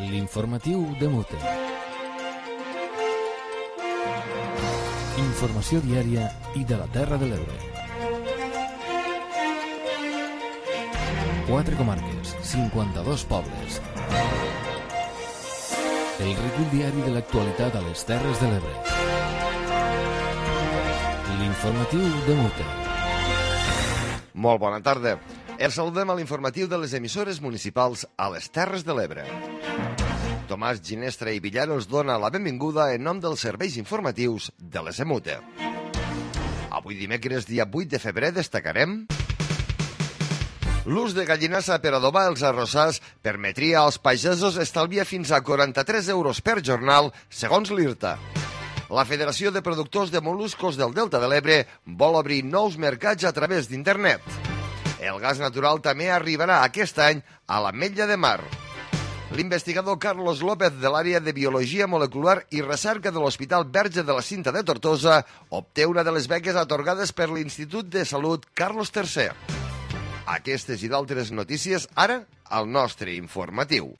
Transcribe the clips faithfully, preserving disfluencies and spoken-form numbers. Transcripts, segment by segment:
L'informatiu de Mute. Informació diària i de la Terra de l'Ebre. Quatre comarques, cinquanta-dos pobles. El recull diari de l'actualitat a les Terres de l'Ebre. L'informatiu de Mute. Molt bona tarda. Els saludem a l'informatiu de les emissores municipals a les Terres de l'Ebre. Tomàs Ginestra i Villar us dona la benvinguda en nom dels serveis informatius de l'E S M U T E. Avui dimecres, dia vuit de febrer, destacarem l'ús de gallinassa per adobar els arrossars permetria als pagesos estalviar fins a quaranta-tres euros per jornal, segons l'IRTA. La Federació de Productors de Moluscos del Delta de l'Ebre vol obrir nous mercats a través d'internet. El gas natural també arribarà aquest any a l'Ametlla de Mar. L'investigador Carlos López de l'àrea de Biologia Molecular i Recerca de l'Hospital Verge de la Cinta de Tortosa obté una de les beques atorgades per l'Institut de Salut Carlos tercer. Aquestes i d'altres notícies ara al nostre informatiu.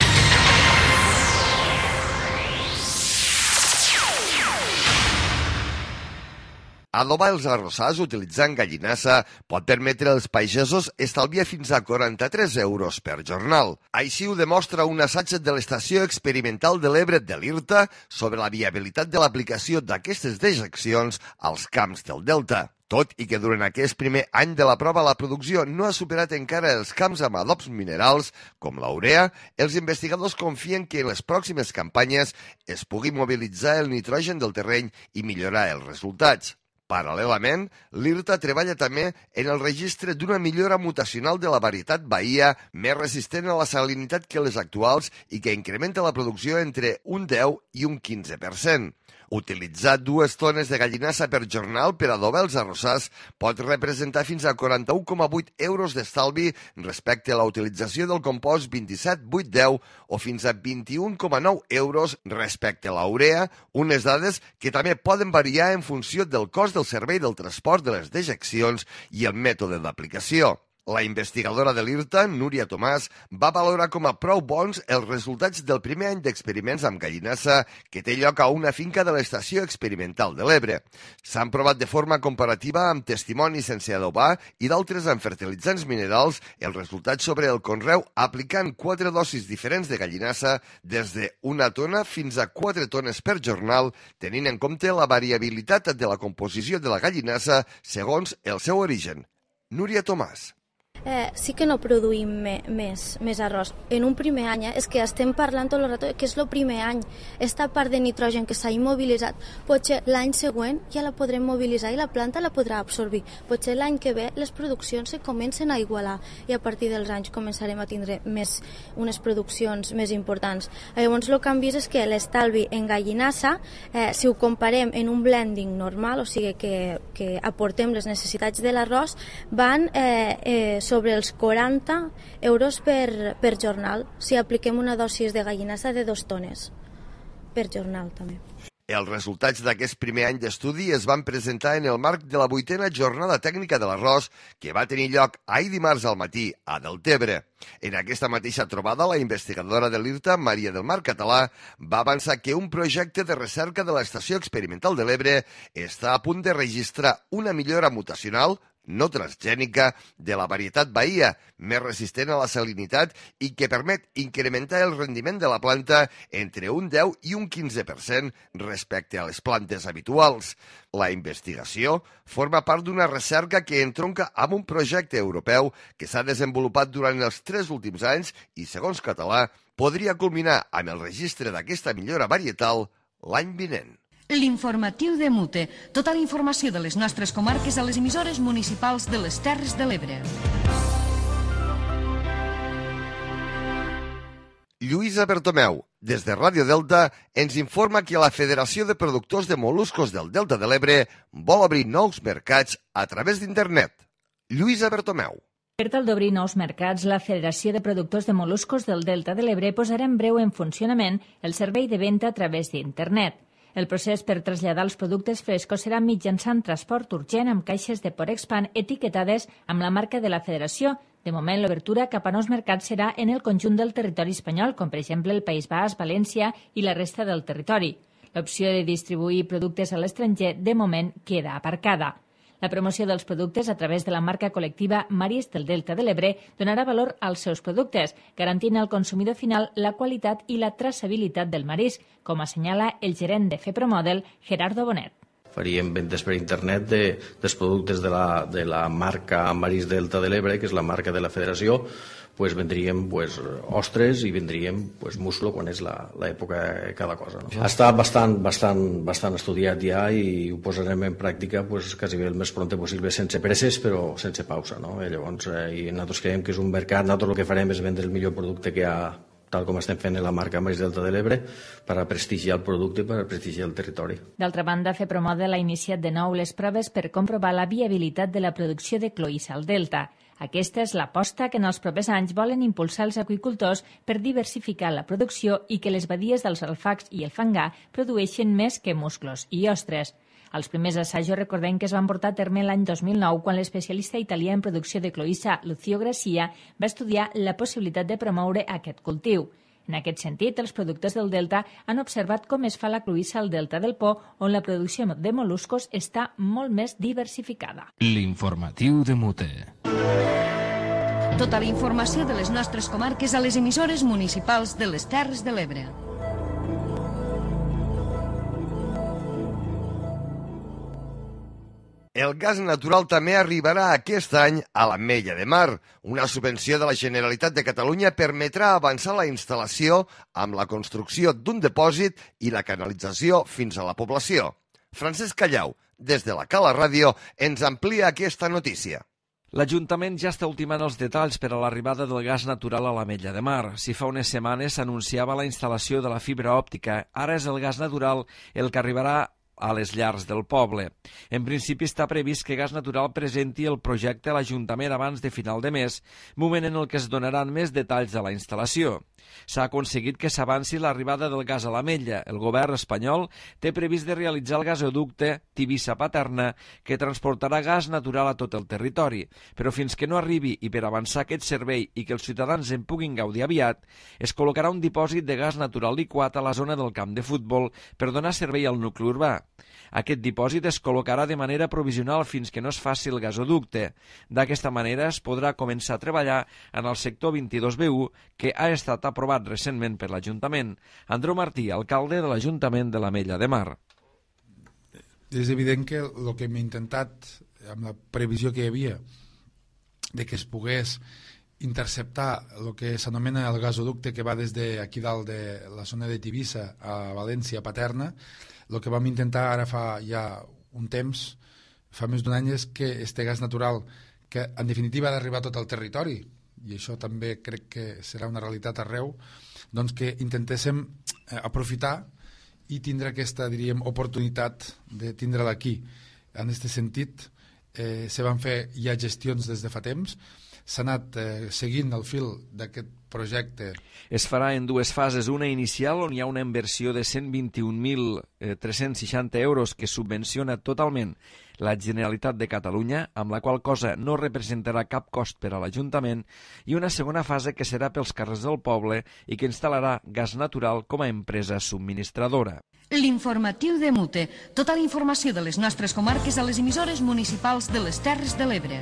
Adobar els arrossars utilitzant gallinassa pot permetre als pagesos estalviar fins a quaranta-tres euros per jornal. Així ho demostra un assaig de l'Estació Experimental de l'Ebre de l'IRTA sobre la viabilitat de l'aplicació d'aquestes dejeccions als camps del Delta. Tot i que durant aquest primer any de la prova la producció no ha superat encara els camps amb adobs minerals, com la urea, els investigadors confien que en les pròximes campanyes es pugui mobilitzar el nitrogen del terreny i millorar els resultats. Paral·lelament, l'IRTA treballa també en el registre d'una millora mutacional de la varietat Bahia més resistent a la salinitat que les actuals i que incrementa la producció entre un deu i un quinze per cent. Utilitzar dues tones de gallinassa per jornal per adobar els arrossars pot representar fins a quaranta-un coma vuit euros d'estalvi respecte a la utilització del compost vint-i-set vuit deu o fins a vint-i-un coma nou euros respecte a la urea, unes dades que també poden variar en funció del cost del servei del transport de les dejeccions i el mètode d'aplicació. La investigadora de l'IRTA, Núria Tomàs, va valorar com a prou bons els resultats del primer any d'experiments amb gallinassa que té lloc a una finca de l'Estació Experimental de l'Ebre. S'han provat de forma comparativa amb testimonis sense adobar i d'altres amb fertilitzants minerals els resultats sobre el conreu aplicant quatre dosis diferents de gallinassa des d'una tona fins a quatre tones per jornal, tenint en compte la variabilitat de la composició de la gallinassa segons el seu origen. Núria Tomàs. Eh, sí que no produïm me, més, més arròs. En un primer any, eh, és que estem parlant tot el rato que és el primer any. Esta part de nitrogen que s'ha immobilitzat, potser l'any següent ja la podrem mobilitzar i la planta la podrà absorbir. Potser l'any que ve les produccions se comencen a igualar i a partir dels anys començarem a tindre més, unes produccions més importants. Llavors el que hem vist és que l'estalvi en gallinassa, eh, si ho comparem en un blending normal, o sigui que, que aportem les necessitats de l'arròs, van eh, eh, sobre els quaranta euros per, per jornal, si apliquem una dosis de gallinassa de dos tones per jornal també. Els resultats d'aquest primer any d'estudi es van presentar en el marc de la vuitena jornada tècnica de l'arròs que va tenir lloc ahir dimarts al matí a Deltebre. En aquesta mateixa trobada, la investigadora de l'IRTA, Maria del Mar Català, va avançar que un projecte de recerca de l'Estació Experimental de l'Ebre està a punt de registrar una millora mutacional no transgènica de la varietat Bahia, més resistent a la salinitat i que permet incrementar el rendiment de la planta entre un deu i un quinze per cent respecte a les plantes habituals. La investigació forma part d'una recerca que entronca amb un projecte europeu que s'ha desenvolupat durant els tres últims anys i, segons Català, podria culminar amb el registre d'aquesta millora varietal l'any vinent. L'informatiu de Mute. Tota la informació de les nostres comarques a les emissores municipals de les Terres de l'Ebre. Lluïsa Bertomeu, des de Ràdio Delta, ens informa que la Federació de Productors de Moluscos del Delta de l'Ebre vol obrir nous mercats a través d'internet. Lluïsa Bertomeu. Per tal d'obrir nous mercats, la Federació de Productors de Moluscos del Delta de l'Ebre posarà en breu en funcionament el servei de venda a través d'internet. El procés per traslladar els productes frescos serà mitjançant transport urgent amb caixes de Porexpan etiquetades amb la marca de la Federació De moment, l'obertura cap a nous mercats serà en el conjunt del territori espanyol, com per exemple el País Basc, València i la resta del territori. L'opció de distribuir productes a l'estranger, de moment, queda aparcada. La promoció dels productes a través de la marca col·lectiva Maris del Delta de l'Ebre donarà valor als seus productes, garantint al consumidor final la qualitat i la traçabilitat del marisc, com assenyala el gerent de FEPROMODEL, Gerardo Bonet. Faríem ventes per internet de, dels productes de la, de la marca Maris Delta de l'Ebre, que és la marca de la federació, pues vendríem pues, ostres i vendríem pues, muslo quan és l'època de cada cosa. No? Està bastant, bastant, bastant estudiat ja i ho posarem en pràctica pues, quasi bé el més pront possible, sense presses però sense pausa. No? I llavors, eh, i nosaltres creiem que és un mercat, nosaltres el que farem és vendre el millor producte que hi ha, tal com estem fent en la marca Maris Delta de l'Ebre, per a prestigiar el producte i per a prestigiar el territori. D'altra banda, FEPROMODEL ha iniciat de nou les proves per comprovar la viabilitat de la producció de cloïssa al Delta. Aquesta és l'aposta que en els propers anys volen impulsar els aqüicultors per diversificar la producció i que les badies dels alfacs i el fangar produeixin més que musclos i ostres. Els primers assajos recordem que es van portar a terme l'any dos mil nou quan l'especialista italià en producció de cloïssa Lucio Gracia va estudiar la possibilitat de promoure aquest cultiu. En aquest sentit, els productors del Delta han observat com es fa la cloïssa al Delta del Po, on la producció de mol·luscos està molt més diversificada. L'informatiu de Mute. Tota la informació de les nostres comarques a les emissores municipals de les Terres de l'Ebre. El gas natural també arribarà aquest any a l'Ametlla de Mar. Una subvenció de la Generalitat de Catalunya permetrà avançar la instal·lació amb la construcció d'un dipòsit i la canalització fins a la població. Francesc Callau, des de la Cala Ràdio, ens amplia aquesta notícia. L'Ajuntament ja està ultimant els detalls per a l'arribada del gas natural a l'Ametlla de Mar. Si fa unes setmanes s'anunciava la instal·lació de la fibra òptica, ara és el gas natural el que arribarà a les llars del poble. En principi està previst que Gas Natural presenti el projecte a l'Ajuntament abans de final de mes, moment en el que es donaran més detalls de la instal·lació. S'ha aconseguit que s'avanci l'arribada del gas a l'Ametlla. El govern espanyol té previst de realitzar el gasoducte Tivissa-Paterna, que transportarà gas natural a tot el territori. Però fins que no arribi i per avançar aquest servei i que els ciutadans en puguin gaudir aviat, es col·locarà un dipòsit de gas natural liquat a la zona del camp de futbol per donar servei al nucli urbà. Aquest dipòsit es col·locarà de manera provisional fins que no es faci el gasoducte. D'aquesta manera es podrà començar a treballar en el sector vint-i-dos B u, que ha estat aprovat recentment per l'Ajuntament. Andreu Martí, alcalde de l'Ajuntament de l'Ametlla de Mar. És evident que el que hem intentat, amb la previsió que hi havia, de que es pogués interceptar el que s'anomena el gasoducte que va des d'aquí dalt de la zona de Tivissa a València, a Paterna, el que vam intentar ara fa ja un temps, fa més d'un any, és que este gas natural, que en definitiva ha d'arribar a tot el territori, i això també crec que serà una realitat arreu, doncs que intentéssim aprofitar i tindre aquesta, diríem, oportunitat de tindre-la aquí. En aquest sentit, eh, se van fer ja gestions des de fa temps, s'ha anat eh, seguint el fil d'aquest projecte. Es farà en dues fases, una inicial on hi ha una inversió de cent vint-i-un mil tres-cents seixanta euros que subvenciona totalment la Generalitat de Catalunya, amb la qual cosa no representarà cap cost per a l'Ajuntament, i una segona fase que serà pels carrers del poble i que instal·larà Gas Natural com a empresa subministradora. L'informatiu de Mute. Tota la informació de les nostres comarques a les emissores municipals de les Terres de l'Ebre.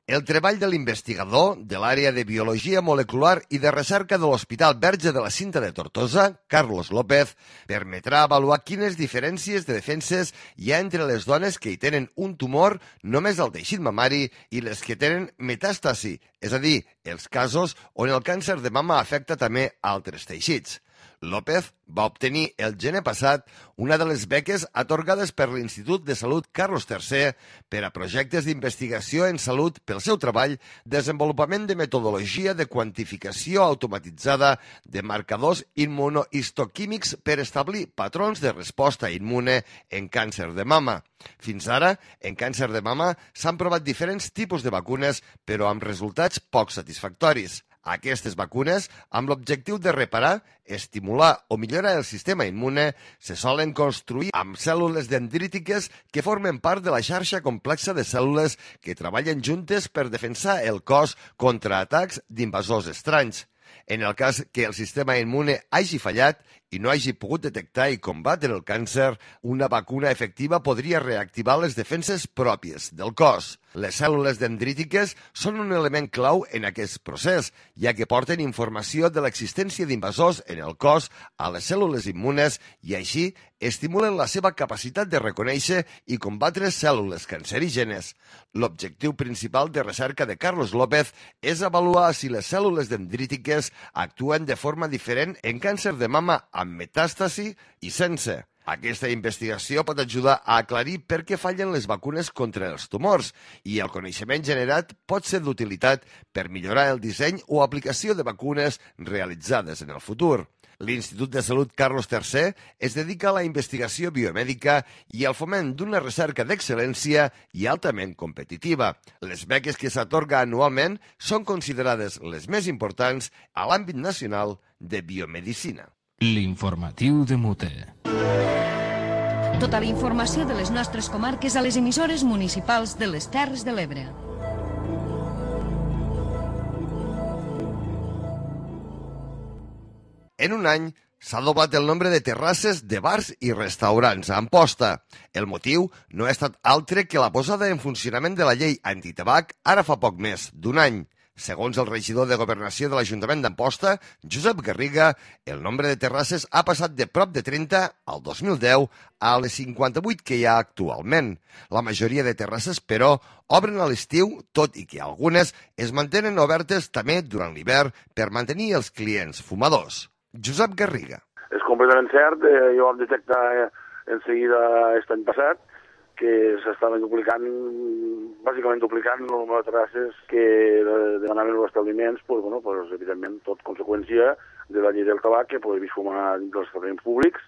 El treball de l'investigador de l'àrea de Biologia Molecular i de Recerca de l'Hospital Verge de la Cinta de Tortosa, Carlos López, permetrà avaluar quines diferències de defenses hi ha entre les dones que hi tenen un tumor només al teixit mamari i les que tenen metàstasi, és a dir, els casos on el càncer de mama afecta també altres teixits. López va obtenir el gener passat una de les beques atorgades per l'Institut de Salut Carlos tercer per a projectes d'investigació en salut pel seu treball, desenvolupament de metodologia de quantificació automatitzada de marcadors immunohistoquímics per establir patrons de resposta immune en càncer de mama. Fins ara, en càncer de mama s'han provat diferents tipus de vacunes, però amb resultats poc satisfactoris. Aquestes vacunes, amb l'objectiu de reparar, estimular o millorar el sistema immune, se solen construir amb cèl·lules dendrítiques que formen part de la xarxa complexa de cèl·lules que treballen juntes per defensar el cos contra atacs d'invasors estranys. En el cas que el sistema immune hagi fallat i no hagi pogut detectar i combatre el càncer, una vacuna efectiva podria reactivar les defenses pròpies del cos. Les cèl·lules dendrítiques són un element clau en aquest procés, ja que porten informació de l'existència d'invasors en el cos a les cèl·lules immunes i així estimulen la seva capacitat de reconèixer i combatre cèl·lules cancerígenes. L'objectiu principal de recerca de Carlos López és avaluar si les cèl·lules dendrítiques actuen de forma diferent en càncer de mama amb metàstasi i sense. Aquesta investigació pot ajudar a aclarir per què fallen les vacunes contra els tumors i el coneixement generat pot ser d'utilitat per millorar el disseny o aplicació de vacunes realitzades en el futur. L'Institut de Salut Carlos tercer es dedica a la investigació biomèdica i al foment d'una recerca d'excel·lència i altament competitiva. Les beques que s'atorga anualment són considerades les més importants a l'àmbit nacional de biomedicina. L'informatiu de Mute. Tota la informació de les nostres comarques a les emissores municipals de les Terres de l'Ebre. En un any s'ha doblat el nombre de terrasses de bars i restaurants a Amposta. El motiu no ha estat altre que la posada en funcionament de la llei antitabac ara fa poc més d'un any. Segons el regidor de Governació de l'Ajuntament d'Amposta, Josep Garriga, el nombre de terrasses ha passat de prop de trenta al dos mil deu a les cinquanta-vuit que hi ha actualment. La majoria de terrasses, però, obren a l'estiu, tot i que algunes es mantenen obertes també durant l'hivern per mantenir els clients fumadors. Josep Garriga. És completament cert, eh, jo vam detectar eh, en seguida aquest any passat que s'estaven duplicant, bàsicament duplicant el nombre de terrasses que demanaven els establiments, pues, bueno, pues, evidentment, tot conseqüència de la llei del tabac, que podem fumar dins dels establiments públics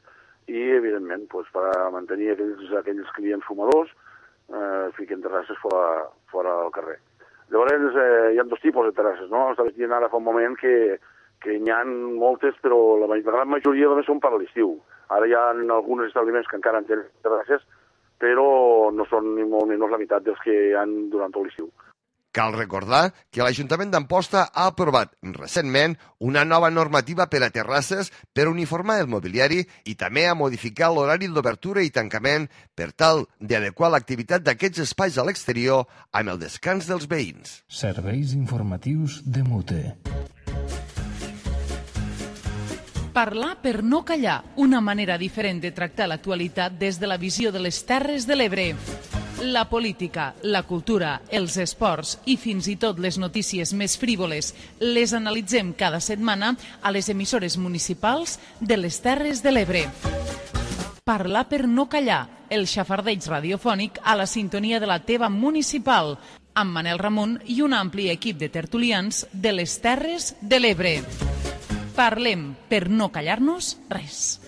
i, evidentment, pues, per a mantenir aquells, aquells clients fumadors, eh, fiquen terrasses fora, fora del carrer. Llavors, eh, hi ha dos tipus de terrasses, no? Estava dient ara fa un moment que, que n'hi ha moltes, però la, la gran majoria només són per a l'estiu. Ara hi ha alguns establiments que encara en tenen terrasses, però no són ni molt menys la meitat dels que hi ha durant tot l'estiu. Cal recordar que l'Ajuntament d'Amposta ha aprovat recentment una nova normativa per a terrasses per uniformar el mobiliari i també a modificar l'horari d'obertura i tancament per tal d'adequar l'activitat d'aquests espais a l'exterior amb el descans dels veïns. Serveis informatius de Mute. Parlar per no callar, una manera diferent de tractar l'actualitat des de la visió de les Terres de l'Ebre. La política, la cultura, els esports i fins i tot les notícies més frívoles les analitzem cada setmana a les emissores municipals de les Terres de l'Ebre. Parlar per no callar, el xafardeig radiofònic a la sintonia de la teva municipal, amb Manel Ramon i un ampli equip de tertulians de les Terres de l'Ebre. Parlem per no callar-nos res.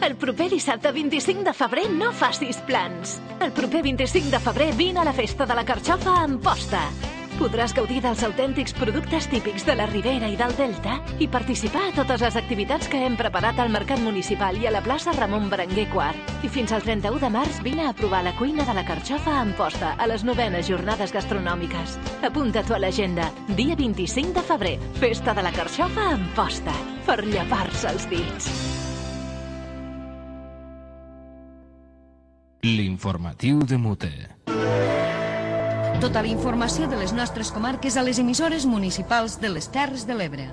El proper dissabte vint-i-cinc de febrer no facis plans. El proper vint-i-cinc de febrer vine a la festa de la carxofa a Amposta. Podràs gaudir dels autèntics productes típics de la Ribera i del Delta i participar a totes les activitats que hem preparat al Mercat Municipal i a la plaça Ramon Berenguer quart. I fins al trenta-u de març vine a provar la cuina de la carxofa a Amposta a les novenes jornades gastronòmiques. Apunta-t'ho a l'agenda. Dia vint-i-cinc de febrer, festa de la carxofa a Amposta. Per llepar-se els dits. L'informatiu de Mute. Tota la informació de les nostres comarques a les emissores municipals de les Terres de l'Ebre.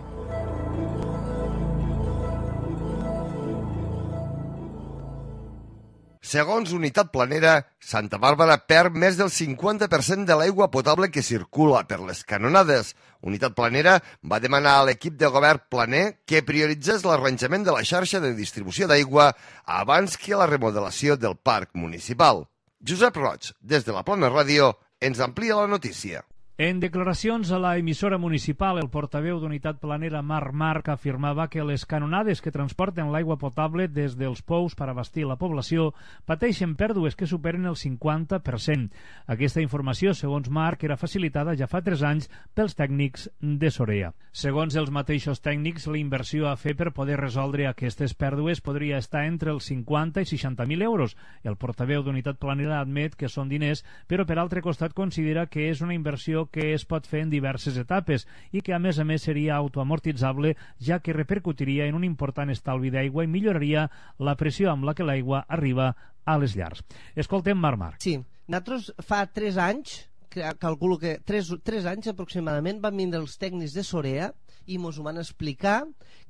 Segons Unitat Planera, Santa Bàrbara perd més del cinquanta per cent de l'aigua potable que circula per les canonades. Unitat Planera va demanar a l'equip de govern planer que prioritzés l'arranjament de la xarxa de distribució d'aigua abans que la remodelació del parc municipal. Josep Roig, des de la Plana Ràdio, ens amplia la notícia. En declaracions a la emissora municipal, el portaveu d'Unitat Planera Marc Marc afirmava que les canonades que transporten l'aigua potable des dels pous per abastir la població pateixen pèrdues que superen el cinquanta per cent. Aquesta informació, segons Marc, era facilitada ja fa tres anys pels tècnics de Sorea. Segons els mateixos tècnics, la inversió a fer per poder resoldre aquestes pèrdues podria estar entre els cinquanta i seixanta mil euros. El portaveu d'Unitat Planera admet que són diners, però per altre costat considera que és una inversió que es pot fer en diverses etapes i que a més a més seria autoamortitzable, ja que repercutiria en un important estalvi d'aigua i milloraria la pressió amb la que l'aigua arriba a les llars. Escoltem Marc Marc. Sí, nosaltres fa tres anys, calculo que tres, tres anys aproximadament, van vindre els tècnics de Sorea i ens van explicar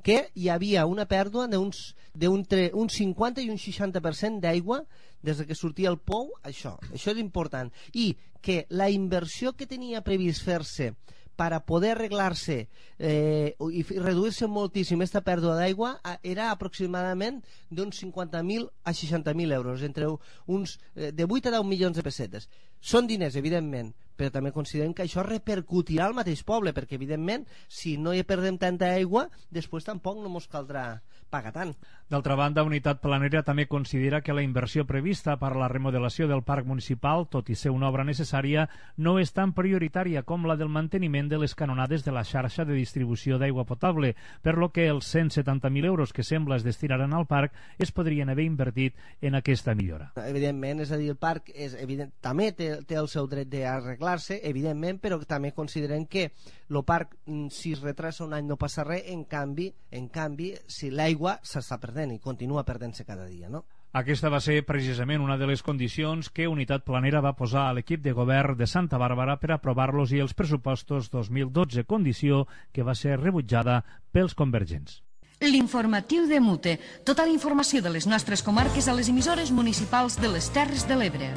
que hi havia una pèrdua d'uns un cinquanta i un seixanta per cent d'aigua des que sortia el pou, això, això és important, i que la inversió que tenia previst fer-se per a poder arreglar-se eh, i reduir-se moltíssim aquesta pèrdua d'aigua era aproximadament d'uns cinquanta mil a seixanta mil euros, entre uns eh, de vuit a deu milions de pessetes. Són diners, evidentment, però també considerem que això repercutirà al mateix poble, perquè evidentment si no hi perdem tanta aigua, després tampoc no ens caldrà pagar tant. D'altra banda, Unitat Planera també considera que la inversió prevista per a la remodelació del parc municipal, tot i ser una obra necessària, no és tan prioritària com la del manteniment de les canonades de la xarxa de distribució d'aigua potable, per lo que els cent setanta mil euros que sembla es destinaran al parc es podrien haver invertit en aquesta millora. Evidentment, és a dir, el parc és evident, també té, té el seu dret d'arreglar-se, evidentment, però també considerem que el parc, si es retrasa un any no passa res, en canvi, en canvi si l'aigua s'està perdent i continua perdent-se cada dia, no? Aquesta va ser precisament una de les condicions que Unitat Planera va posar a l'equip de govern de Santa Bàrbara per aprovar-los i els pressupostos dos mil dotze, condició que va ser rebutjada pels convergents. L'informatiu de Mute. Tota la informació de les nostres comarques a les emissores municipals de les Terres de l'Ebre.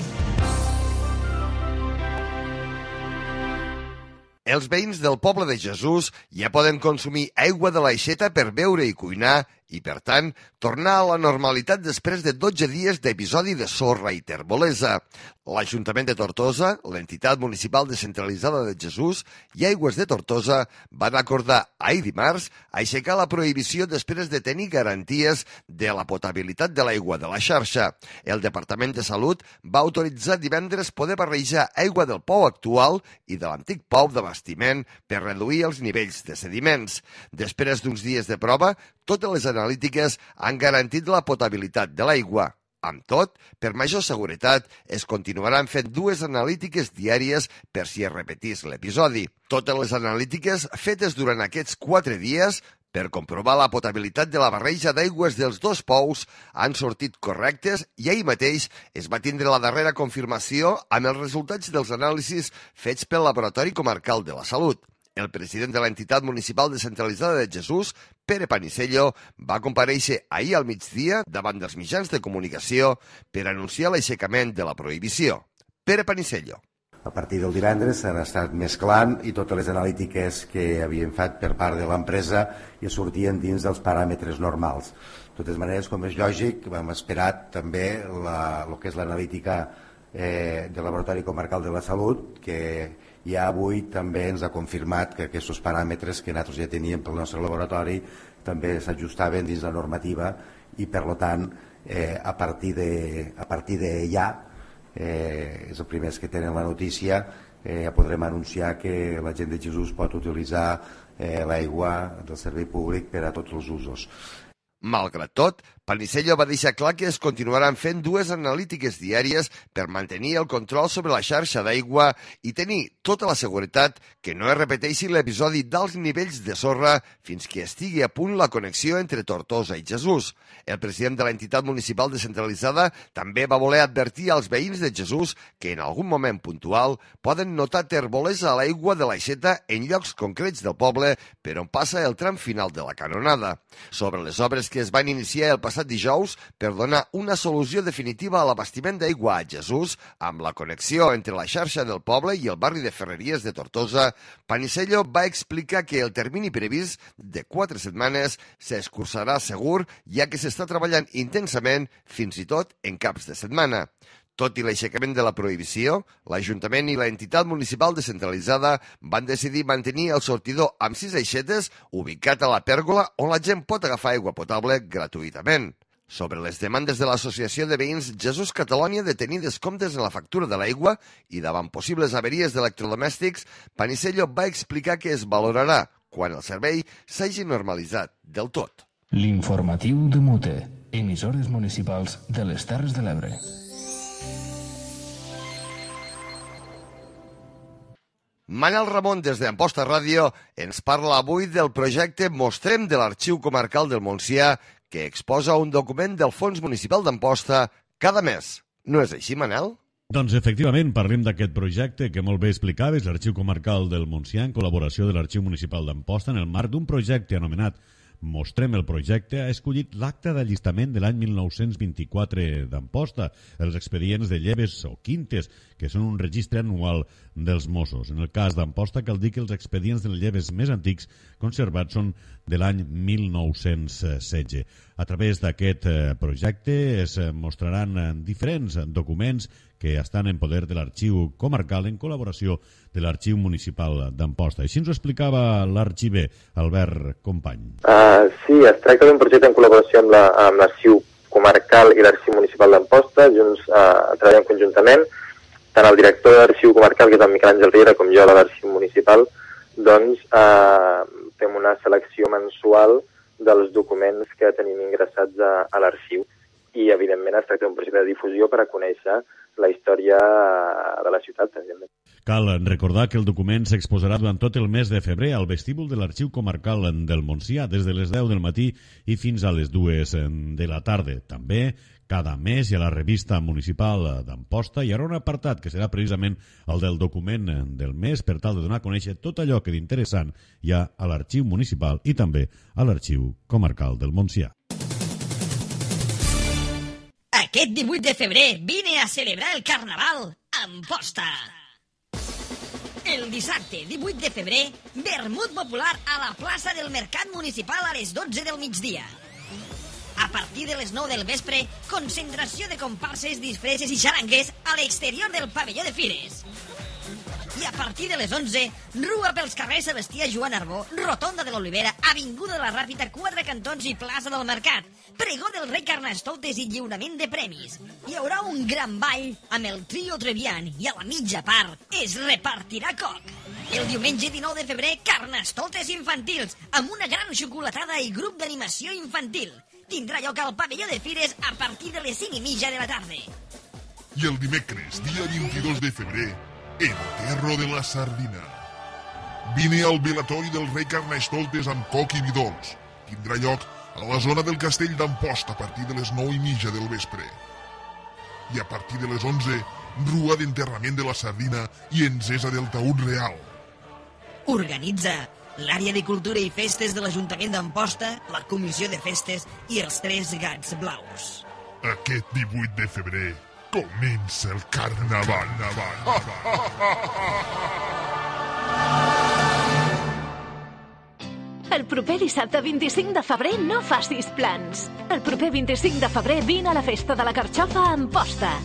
Els veïns del poble de Jesús ja poden consumir aigua de l'aixeta per beure i cuinar i, per tant, tornar a la normalitat després de dotze dies d'episodi de sorra i terbolesa. L'Ajuntament de Tortosa, l'entitat municipal descentralitzada de Jesús i Aigües de Tortosa van acordar ahir dimarts aixecar la prohibició després de tenir garanties de la potabilitat de l'aigua de la xarxa. El Departament de Salut va autoritzar divendres poder barrejar aigua del pou actual i de l'antic pou d'abastiment per reduir els nivells de sediments. Després d'uns dies de prova, totes les analítiques han garantit la potabilitat de l'aigua. Amb tot, per major seguretat, es continuaran fent dues analítiques diàries per si es repetís l'episodi. Totes les analítiques fetes durant aquests quatre dies per comprovar la potabilitat de la barreja d'aigües dels dos pous han sortit correctes i ahir mateix es va tindre la darrera confirmació amb els resultats dels anàlisis fets pel Laboratori Comarcal de la Salut. El president de l'entitat municipal descentralitzada de Jesús, Pere Panisello, va comparèixer ahir al migdia davant dels mitjans de comunicació per anunciar l'aixecament de la prohibició. Pere Panisello. A partir del divendres s'han estat mesclant i totes les analítiques que havien fet per part de l'empresa ja sortien dins dels paràmetres normals. De totes maneres, com és lògic, vam esperar també la, el que és l'analítica eh, del Laboratori Comarcal de la Salut, que ja avui també ens ha confirmat que aquests paràmetres que nosaltres ja teníem pel nostre laboratori també s'ajustaven dins la normativa i, per tant, eh, a partir de, a partir de ja, eh, és els primers que tenen la notícia, eh, ja podrem anunciar que la gent de Jesús pot utilitzar eh, l'aigua del servei públic per a tots els usos. Malgrat tot, Panisello va deixar clar que es continuaran fent dues analítiques diàries per mantenir el control sobre la xarxa d'aigua i tenir tota la seguretat que no es repeteixi l'episodi d'alts nivells de sorra fins que estigui a punt la connexió entre Tortosa i Jesús. El president de l'entitat municipal descentralitzada també va voler advertir als veïns de Jesús que en algun moment puntual poden notar terbolesa a l'aigua de l'aixeta en llocs concrets del poble per on passa el tram final de la canonada. Sobre les obres que es van iniciar el passat dijous per donar una solució definitiva a l'abastiment d'aigua a Jesús amb la connexió entre la xarxa del poble i el barri de Ferreries de Tortosa, Panisello va explicar que el termini previst de quatre setmanes s'escurçarà segur, ja que s'està treballant intensament fins i tot en caps de setmana. Tot i l'aixecament de la prohibició, l'Ajuntament i l'entitat municipal descentralitzada van decidir mantenir el sortidor amb sis aixetes ubicat a la pèrgola on la gent pot agafar aigua potable gratuïtament. Sobre les demandes de l'Associació de Veïns Jesús Catalònia de tenir descomptes en la factura de l'aigua i davant possibles averies d'electrodomèstics, Panisello va explicar que es valorarà quan el servei s'hagi normalitzat del tot. L'informatiu de Mute, emissores municipals de les Terres de l'Ebre. Manel Ramon, des d'Amposta Ràdio, ens parla avui del projecte Mostrem de l'Arxiu Comarcal del Montsià, que exposa un document del Fons Municipal d'Amposta cada mes. No és així, Manel? Doncs efectivament, parlem d'aquest projecte que molt bé explicaves, l'Arxiu Comarcal del Montsià, en col·laboració de l'Arxiu Municipal d'Amposta, en el marc d'un projecte anomenat Mostrem el projecte, ha escollit l'acte d'allistament de l'any mil nou-cents vint-i-quatre d'Amposta, els expedients de lleves o quintes, que són un registre anual dels Mossos. En el cas d'Amposta cal dir que els expedients de lleves més antics conservats són de l'any mil nou-cents setze. A través d'aquest projecte es mostraran diferents documents que estan en poder de l'Arxiu Comarcal en col·laboració de l'Arxiu Municipal d'Amposta. Així ens ho explicava l'arxiver Albert Company. Uh, sí, es tracta d'un projecte en col·laboració amb l'Arxiu la, Comarcal i l'Arxiu Municipal d'Amposta. Junts uh, treballem conjuntament. Tant el director de l'Arxiu Comarcal, que és el Miquel Àngel Riera, com jo, de l'Arxiu Municipal, doncs uh, fem una selecció mensual dels documents que tenim ingressats a, a l'arxiu. I, evidentment, es tracta d'un projecte de difusió per a conèixer la història de la ciutat, evidentment. Cal recordar que el document s'exposarà durant tot el mes de febrer al vestíbul de l'Arxiu Comarcal del Montsià, des de les deu del matí i fins a les dues de la tarda. També, cada mes hi ha la revista municipal d'Amposta i hi haurà un apartat que serà precisament el del document del mes per tal de donar a conèixer tot allò que d'interessant hi ha a l'Arxiu Municipal i també a l'Arxiu Comarcal del Montsià. Aquest divuit de febrer vine a celebrar el Carnaval a Amposta. El dissabte divuit de febrer, vermut popular a la plaça del Mercat Municipal a les dotze del migdia. A partir de les nou del vespre, concentració de comparses, disfresses i xarangues a l'exterior del pavelló de Fires. I a partir de les onze, rua pels carrers Sebastià Joan Arbó, Rotonda de l'Olivera, Avinguda de la Ràpita, Quatre Cantons i Plaça del Mercat. Pregó del rei Carnestoltes i lliurament de premis. Hi haurà un gran ball amb el trio Trevian i a la mitja part es repartirà coc. El diumenge dinou de febrer, Carnestoltes infantils, amb una gran xocolatada i grup d'animació infantil. Tindrà lloc al pavelló de Fires a partir de les cinc i mitja de la tarda. I el dimecres, dia vint-i-dos de febrer, Enterro de la Sardina. Vine al velatori del rei Carnestoltes amb coc i vi dolç. Tindrà lloc a la zona del castell d'Amposta a partir de les nou i mitja del vespre. I a partir de les onze, rua d'enterrament de la sardina i encesa del taüt real. Organitza l'àrea de cultura i festes de l'Ajuntament d'Amposta, la Comissió de Festes i els Tres Gats Blaus. Aquest divuit de febrer comença el Carnaval. El proper dissabte vint-i-cinc de febrer no facis plans. El proper vint-i-cinc de febrer vine a la festa de la Carxofa a Amposta.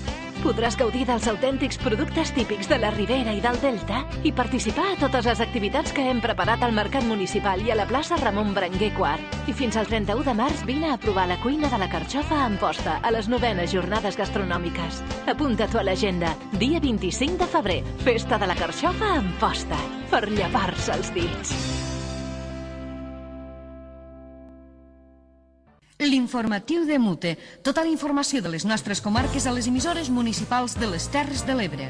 Podràs gaudir dels autèntics productes típics de la Ribera i del Delta i participar a totes les activitats que hem preparat al Mercat Municipal i a la plaça Ramon Berenguer quart. I fins al trenta-u de març vine a provar la cuina de la Carxofa a Amposta a les novenes jornades gastronòmiques. Apunta-t'ho a l'agenda. Dia vint-i-cinc de febrer, festa de la Carxofa a Amposta. Per llepar-se els dits. L'informatiu de Mute. Tota la informació de les nostres comarques a les emissores municipals de les Terres de l'Ebre.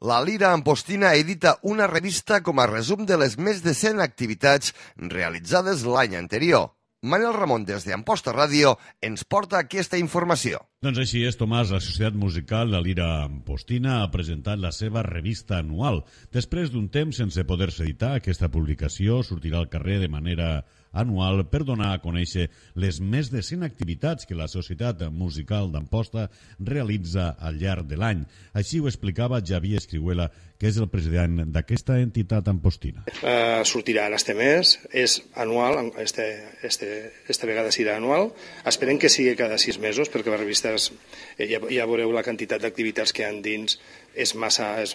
La Lira Ampostina edita una revista com a resum de les més de cent activitats realitzades l'any anterior. Manel Ramon, des d'Amposta Ràdio, ens porta aquesta informació. Doncs així és, Tomàs, la Societat Musical La Lira Ampostina ha presentat la seva revista anual. Després d'un temps sense poder-se editar, aquesta publicació sortirà al carrer de manera anual per donar a conèixer les més de cent activitats que la Societat Musical d'Amposta realitza al llarg de l'any. Així ho explicava Javier Escrihuela, que és el president d'aquesta entitat ampostina. Uh, sortirà en este mes, és anual, este, este, esta vegada serà anual. Esperem que sigui cada sis mesos, perquè la revista és, ja, ja veureu la quantitat d'activitats que hi ha dins, és massa, és,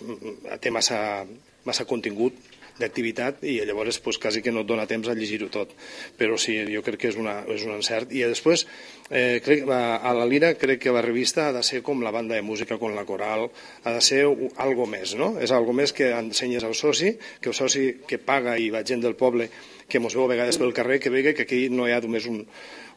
té massa, massa contingut d'activitat i llavors pues, quasi que no et dona temps a llegir-ho tot. Però sí, jo crec que és, una, és un encert. I després, eh, crec, a la Lira crec que la revista ha de ser com la banda de música, com la coral, ha de ser algo més, no? És algo més que ensenyes al soci, que el soci que paga i va gent del poble que mos veu a vegades pel carrer, que vegi que aquí no hi ha només un,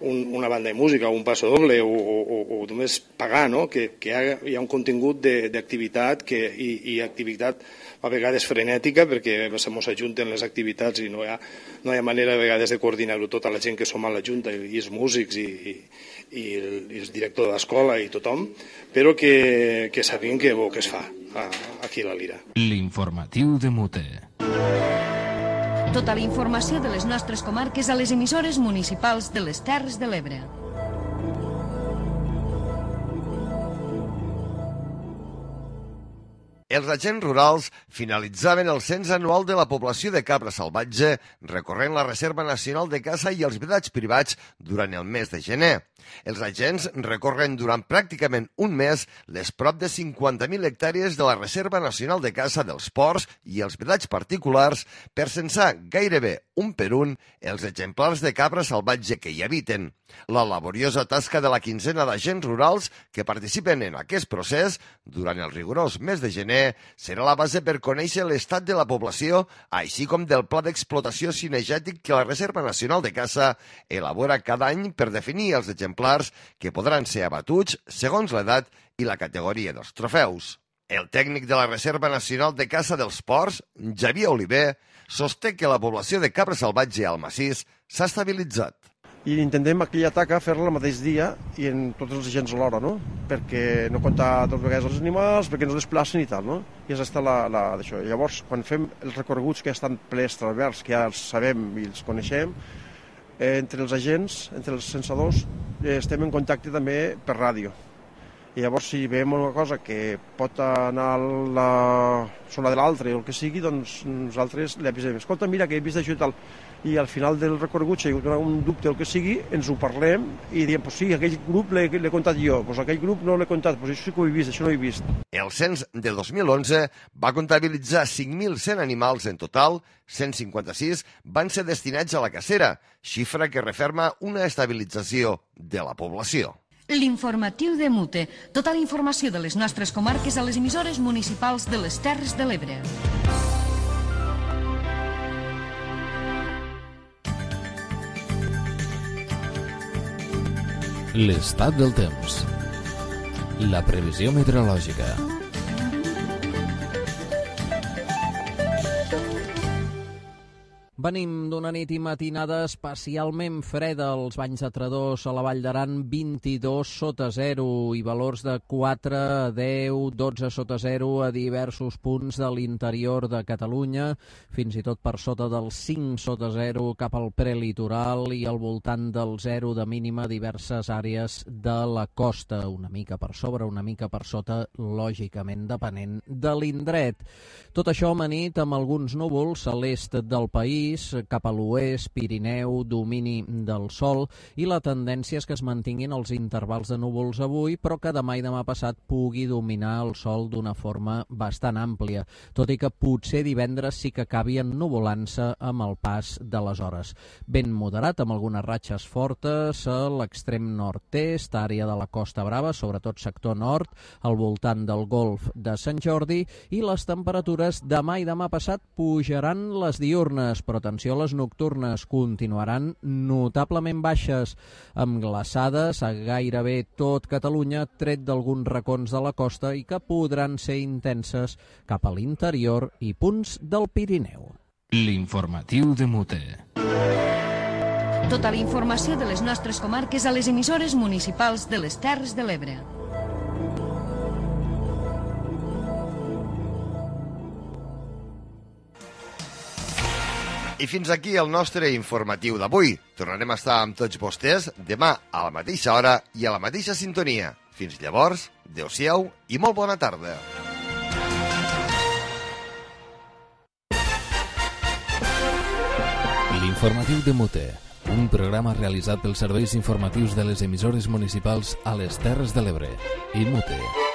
un, una banda de música o un passo doble o, o, o només pagar, no? Que, que hi, ha, hi ha un contingut d'activitat i, i activitat a vegades frenètica, perquè se mos ajunten les activitats i no hi ha, no hi ha manera a vegades de coordinar-ho tota la gent que som a la Junta i els músics i, i, i, el, i el director de l'escola i tothom, però que, que sapiguin que bo que es fa a, aquí a la Lira. L'informatiu de Mute. Tota la informació de les nostres comarques a les emissores municipals de les Terres de l'Ebre. Els agents rurals finalitzaven el cens anual de la població de cabra salvatge recorrent la Reserva Nacional de Caça i els vedats privats durant el mes de gener. Els agents recorren durant pràcticament un mes les prop de cinquanta mil hectàrees de la Reserva Nacional de Caça dels Ports i els vedats particulars per censar gairebé un per un els exemplars de cabra salvatge que hi habiten. La laboriosa tasca de la quinzena d'agents rurals que participen en aquest procés durant el rigorós mes de gener serà la base per conèixer l'estat de la població, així com del pla d'explotació cinegètic que la Reserva Nacional de Caça elabora cada any per definir els exemplars que podran ser abatuts segons l'edat i la categoria dels trofeus. El tècnic de la Reserva Nacional de Caça dels Ports, Javier Oliver, sosté que la població de cabra salvatge al massís s'ha estabilitzat. I intentem aquella taca fer-la el mateix dia i en tots els agents alhora, no? Perquè no comptar dues vegades els animals, perquè no desplacen i tal, no? I és aquesta la, la d'això. Llavors, quan fem els recorreguts que ja estan plens transverts, que ja els sabem i els coneixem, eh, entre els agents, entre els censadors, eh, estem en contacte també per ràdio. I llavors, si veiem una cosa que pot anar a la zona de l'altre o el que sigui, doncs nosaltres li avisem. Escolta, mira, que he vist això i tal. I al final del recorregut, si hi ha un dubte o el que sigui, ens ho parlem i diem, pues sí, aquell grup l'he contat jo, pues aquell grup no l'he contat, pues això sí que ho he vist, això no ho he vist. El cens de dos mil onze va comptabilitzar cinc mil cent animals en total, cent cinquanta-sis van ser destinats a la cacera, xifra que referma una estabilització de la població. L'informatiu de Mute. Tota la informació de les nostres comarques a les emissores municipals de les Terres de l'Ebre. L'estat del temps. La previsió meteorològica. Venim d'una nit i matinada especialment freda. Els banys de Tredòs a la Vall d'Aran vint-i-dos sota zero i valors de quatre a deu, dotze sota zero a diversos punts de l'interior de Catalunya, fins i tot per sota dels cinc sota zero cap al prelitoral i al voltant del zero de mínima a diverses àrees de la costa, una mica per sobre, una mica per sota, lògicament depenent de l'indret. Tot això amanit amb alguns núvols a l'est del país, cap a l'oest, Pirineu, domini del sol, i la tendència és que es mantinguin els intervals de núvols avui, però que demà i demà passat pugui dominar el sol d'una forma bastant àmplia, tot i que potser divendres sí que acabi ennuvolant-se amb el pas de les hores. Vent moderat, amb algunes ratxes fortes a l'extrem nord-est, àrea de la Costa Brava, sobretot sector nord, al voltant del golf de Sant Jordi, i les temperatures demà i demà passat pujaran les diürnes, però atenció, les nocturnes continuaran notablement baixes, amb glaçades a gairebé tot Catalunya, tret d'alguns racons de la costa i que podran ser intenses cap a l'interior i punts del Pirineu. L'informatiu de Mute. Tota la informació de les nostres comarques a les emissores municipals de les Terres de l'Ebre. I fins aquí el nostre informatiu d'avui. Tornarem a estar amb tots vostès demà a la mateixa hora i a la mateixa sintonia. Fins llavors, adeu-siau i molt bona tarda. L'informatiu de Mute, un programa realitzat pels serveis informatius de les emissores municipals a les Terres de l'Ebre. I Mute.